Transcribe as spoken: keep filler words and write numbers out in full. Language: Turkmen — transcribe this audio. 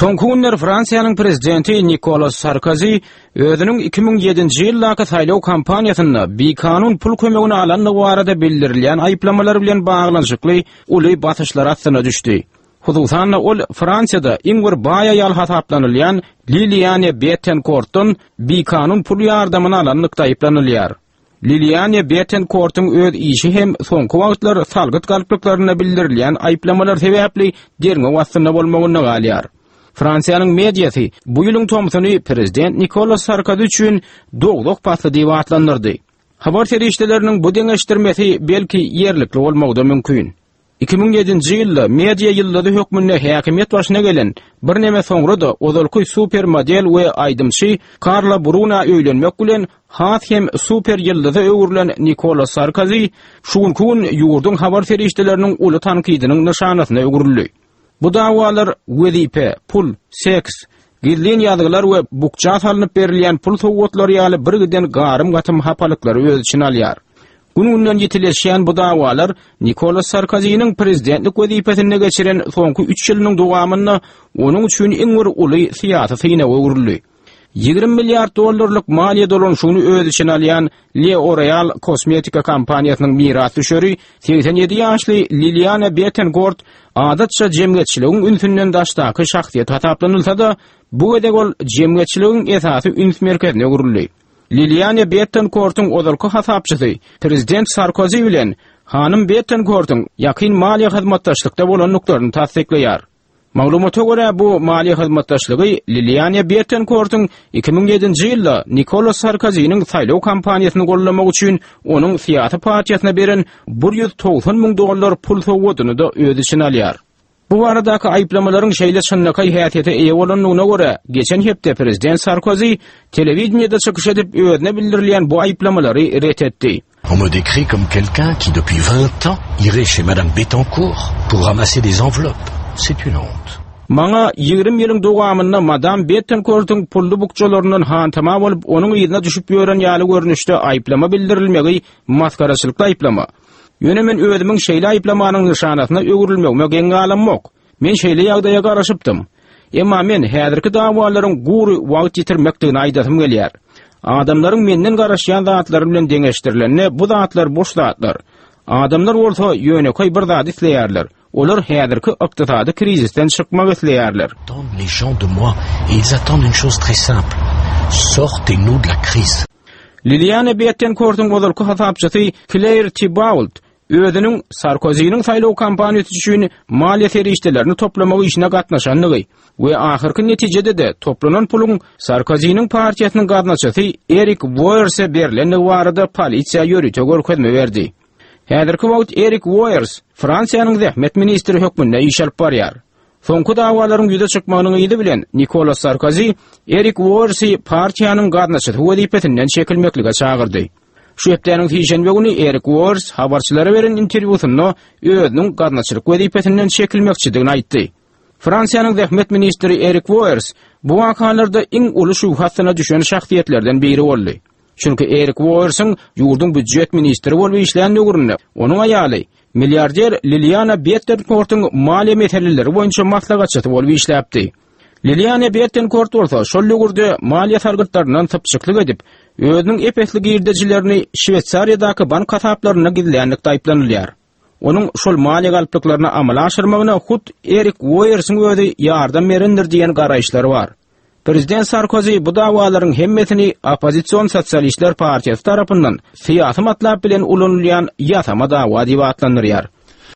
Soňky günler Fransiýanyň prezidenti Nikolas Sarkozy özüniň iki müň ýedinji ýyldaky saýlaw kampaniýasynda bikanun pul kömegini alandygy barada bildirilýän aýyplamalar bilen baglanyşykly uly basyşlar astyna düşdi. Hususan-da ol Fransiýada iň bir baý aýal hasaplanylýan Liliane Bettencourtdan bikanun pul ýardamyny alanlykda aýyplanylýar. Liliane Bettencourtyň öz işi hem soňky wagtlar salgyt galplyklarynda bildirilýän aýyplamalar sebäpli derňew astynda bolmagynda galýar. Fransiýanyň mediasy bu ýylyň tomsuny prezident Nikolas Sarkozy üçin dowzah pasly diýip atlandyrdy. Habar serişdeleriniň bu deňeşdirmesi belki ýerlikli bolmagy-da mümkin. Iki müň ýedinji ýylda media ýyldyzy hökmünde häkimiýet başyna gelen, birneme soňra-da ozalky super model we aýdymçy Karla Bruna öýlenmek bilen has hem super ýyldyza öwrülen Nikolas Sarkozy şu günki gün ýurduň habar serişdeleriniň uly tankydynyň nyşanasyna öwrüldi. Bu dawalar wezipe, pul, seks, gizlin ýazgylar we bukja salnyp berilýän pul sowgatlary ýaly birgiden garym-gatym hapalyklary öz içine alýar. Gün-günden ýitileşýän bu dawalar Nikolas Sarkozynyň prezidentlik wezipesinde geçiren soňky üç ýylynyň dowamynda onuň üçin iň bir uly syýasy synaga öwrüldi. Ýigrimi milliard dollarlyk maliýe dolanyşygyny öz içine alýan L'Oreal kosmetika kompaniýasynyň mirasdüşeri segsen ýedi ýaşly Liliana Bettencourt adatça jemgyýetçiligiň ünsünden daşdaky şahsyýet hasaplanylsa-da, bu gezek ol jemgyýetçiligiň esasy üns merkezine öwrüldi. Liliana Bettencourtyň ozalky hasapçysy prezident Sarkozy bilen hanym Bettencourtyň ýakyn maliýe hyzmatdaşlykda bolandyklaryny tassyklaýar. Maglumata görä, bu maliýe hyzmatdaşlygy Liliana Bettencourtyň iki müň ýedinji ýylda Nikolas Sarkozynyň saýlaw kampaniýasyny gollamak üçin onuň syýasy partiýasyna beren bir ýüz togsan müň dollar pul sowgadyny-da öz içine alýar. Bu baradaky aýyplamalaryň şeýle çynlakaý häsiýete eýe bolandygyna görä, geçen hepde prezident Sarkozy telewideniýede çykyş edip, özüne bildirilýän bu aýyplamalary ret etdi. On me décrit comme quelqu'un qui depuis vingt ans irait chez Madame Bettencourt pour ramasser des enveloppes. C'est une honte. Maňa ýigrimi ýylyň dowamynda Madame Bettencourtyň pully bukjalaryndan hantama bolup, onuň yzyna düşüp ýören ýaly görnüşde aýyplama bildirilmegi masgaraçylykly aýyplama. Ýöne men özümiň şeýle aýyplamanyň nyşanasyna öwrülmegime geň galamok. Men şeýle ýagdaýa garaşypdym. Emma men häzirki dawalaryň gury wagt ýitirmekdigini aýdasym gelýär. Adamlaryň menden garaşýan zatlary bilen deňeşdirilende bu zatlar boş zatlar. Adamlar bolsa ýönekeý bir zat isleýärler. Olar häzirki ykdysady krizisden çykmak isleýärler. Attendent les gens de moi et ils attendent une chose très simple. Sortez-nous de la crise. Liliane Bettencourtyň ozalky hasapçysy Claire Thibault özüniň Sarkozynyň saýlaw kampaniýasy üçin maliýe serişdelerini toplamak işine gatnaşandygy we ahyrky netijede-de toplanan puluň Sarkozynyň partiýasynyň gaznaçysy Erik Woerse berlendigi barada polisiýa ýörite görkezme berdi. Häzirki wagt Erik Woers Fransiýanyň zähmet ministri hökmünde iş alyp barýar. Soňky dawalaryň ýüze çykmagynyň yzy bilen Nikolas Sarkozy Erik Woersi partiýanyň gaznaçysy wezipesinden çekilmeklige çagyrdy. Şu hepdäniň sişenbe güni Erik Woers habarçylara beren interwýusynda özüniň gaznaçylyk wezipesinden çekilmekçidigini aýtdy. Fransiýanyň zähmet ministri Erik Woers bu wakalarda iň uly şübhe astyna düşen şahsyýetlerden biri boldy. Çünki Erik Woersiň ýurduň býujet ministri bolup işlän döwründe onuň aýaly milliarder Liliana Bettencourtyň maliýe meseleleri boýunça maslahatçysy bolup işläpdi. Liliana Bettencourt bolsa şol döwürde maliýe salgytlaryndan sypjyklyk edip, özüniň ep-esli girdejilerini Şweýsariýadaky bank hasaplarynda gizlänlikde aýyplanylýar. Onuň şol maliýe galplyklaryny amala aşyrmagyna hut Erik Woersiň özi ýardam berendir diýen garaýyşlar bar. Prezident Sarkozy bu dawalaryň hemmesini oppozision sosialistler partiýasy tarapyndan syýasy matlap bilen ulanylýan ýasama dawa diýip atlandyrýar.